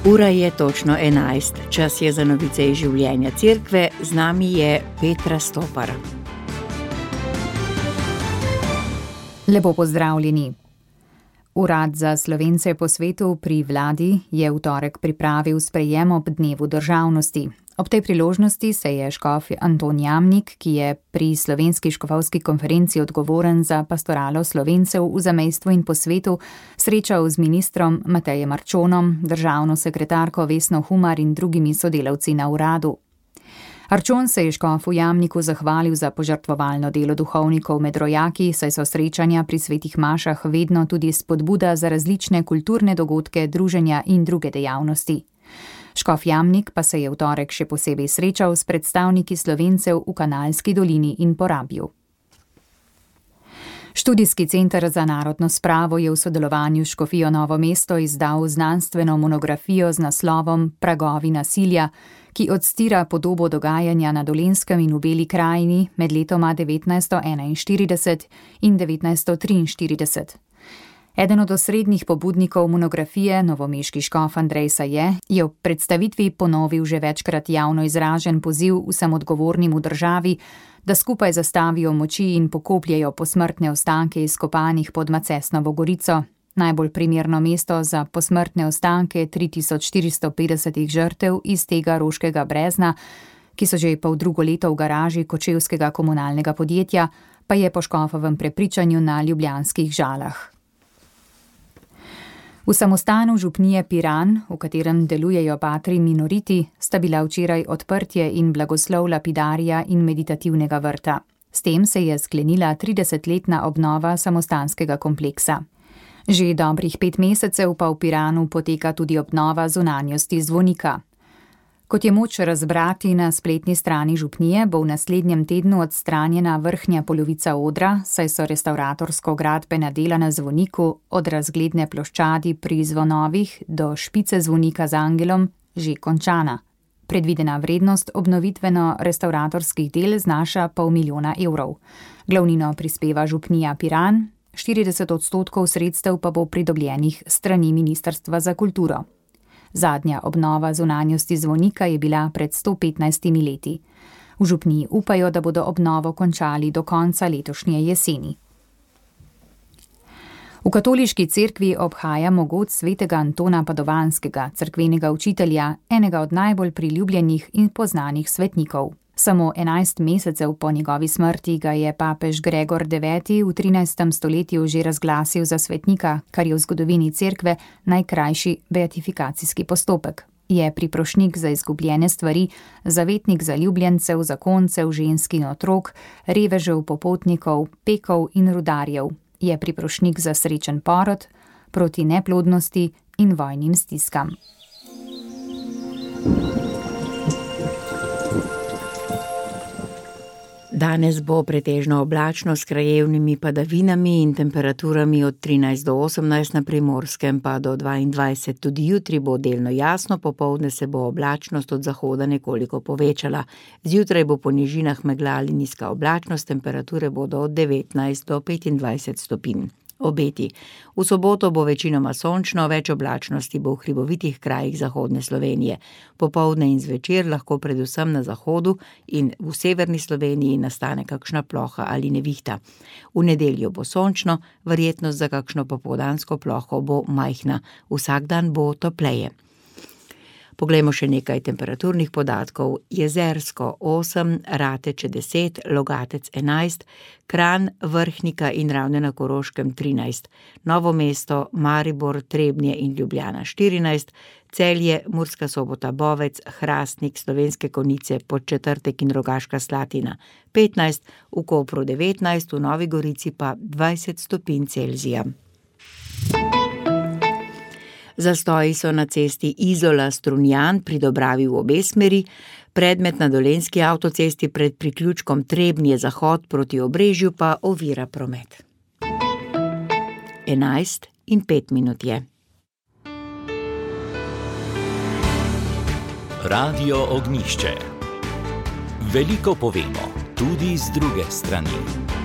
Ura je točno 11, čas je za novice iz življenja cerkve, z nami je Petra Stopar. Lepo pozdravljeni. Urad za Slovence po svetu pri vladi je v torek pripravil sprejem ob dnevu državnosti. Ob tej priložnosti se je škof Anton Jamnik, ki je pri Slovenski škofovski konferenci odgovoren za pastoralo Slovencev v zamejstvu in po svetu, srečal z ministrom Matejem Arčonom, državno sekretarko Vesno Humar in drugimi sodelavci na uradu. Arčon se je škofu Jamniku zahvalil za požrtvovalno delo duhovnikov med rojaki, saj so srečanja pri svetih mašah vedno tudi spodbuda za različne kulturne dogodke, druženja in druge dejavnosti. Škof Jamnik pa se je v torek še posebej srečal s predstavniki Slovencev v Kanalski dolini in Porabju. Študijski center za narodno spravo je v sodelovanju s škofijo Novo mesto izdal znanstveno monografijo z naslovom Pragovi nasilja, ki odstira podobo dogajanja na Dolenjskem in v Beli krajini med letoma 1941 in 1943. Eden od osrednjih pobudnikov monografije, novomeški škof Andrej Saje, je v predstavitvi ponovil že večkrat javno izražen poziv vsem odgovornim v državi, da skupaj zastavijo moči in pokopljejo posmrtne ostanke izkopanih pod Macesnovo gorico, najbolj primerno mesto za posmrtne ostanke 3450 žrtev iz tega roškega brezna, ki so že poldrugo leto v garaži kočevskega komunalnega podjetja, pa je po škofovem prepričanju na ljubljanskih Žalah. V samostanu župnije Piran, v katerem delujejo patri minoriti, sta bila včeraj odprtje in blagoslov lapidarija in meditativnega vrta. S tem se je sklenila 30-letna obnova samostanskega kompleksa. Že dobrih 5 mesecev pa v Piranu poteka tudi obnova zunanjosti zvonika. Kot je moč razbrati na spletni strani župnije, bo v naslednjem tednu odstranjena vrhnja polovica odra, saj so restavratorsko-gradbena dela na zvoniku od razgledne ploščadi pri zvonovih do špice zvonika z angelom že končana. Predvidena vrednost obnovitveno-restavratorskih del znaša 500 000 evrov. Glavnino prispeva župnija Piran, 40% sredstev pa bo pridobljenih strani Ministrstva za kulturo. Zadnja obnova zunanjosti zvonika je bila pred 115 leti. V župniji upajo, da bodo obnovo končali do konca letošnje jeseni. V katoliški cerkvi obhaja mogoč svetega Antona Padovanskega, cerkvenega učitelja, enega od najbolj priljubljenih in poznanih svetnikov. Samo 11 mesecev po njegovi smrti ga je papež Gregor IX v 13. stoletju že razglasil za svetnika, kar je v zgodovini cerkve najkrajši beatifikacijski postopek. Je priprošnik za izgubljene stvari, zavetnik zaljubljencev, zakoncev, žensk in otrok, revežev, popotnikov, pekov in rudarjev. Je priprošnik za srečen porod, proti neplodnosti in vojnim stiskam. Danes bo pretežno oblačno s krajevnimi padavinami in temperaturami od 13 do 18 na Primorskem pa do 22. Tudi jutri bo delno jasno, popoldne se bo oblačnost od zahoda nekoliko povečala. Zjutraj bo po nižinah megla ali nizka oblačnost, temperature bodo od 19 do 25 stopinj. Obeti. V soboto bo večinoma sončno, več oblačnosti bo v hribovitih krajih zahodne Slovenije. Popoldne in zvečer lahko predvsem na zahodu in v severni Sloveniji nastane kakšna ploha ali nevihta. V nedeljo bo sončno, verjetnost za kakšno popoldansko ploho bo majhna. Vsak dan bo topleje. Poglejmo še nekaj temperaturnih podatkov. Jezersko 8, Rateče 10, Logatec 11, Kranj, Vrhnika in Ravne na Koroškem 13, Novo mesto, Maribor, Trebnje in Ljubljana 14, Celje, Murska Sobota, Bovec, Hrastnik, Slovenske Konjice, Podčetrtek in Rogaška Slatina 15, v Kopru 19, v Novi Gorici pa 20 stopinj Celzija. Zastoji so na cesti Izola-Strunjan pri Dobravi v obe smeri, predmet na Dolenjski avtocesti pred priključkom Trebnje zahod proti Obrežju pa ovira promet. 11:05 je. Radio Ognjišče. Veliko povemo, tudi z druge strani.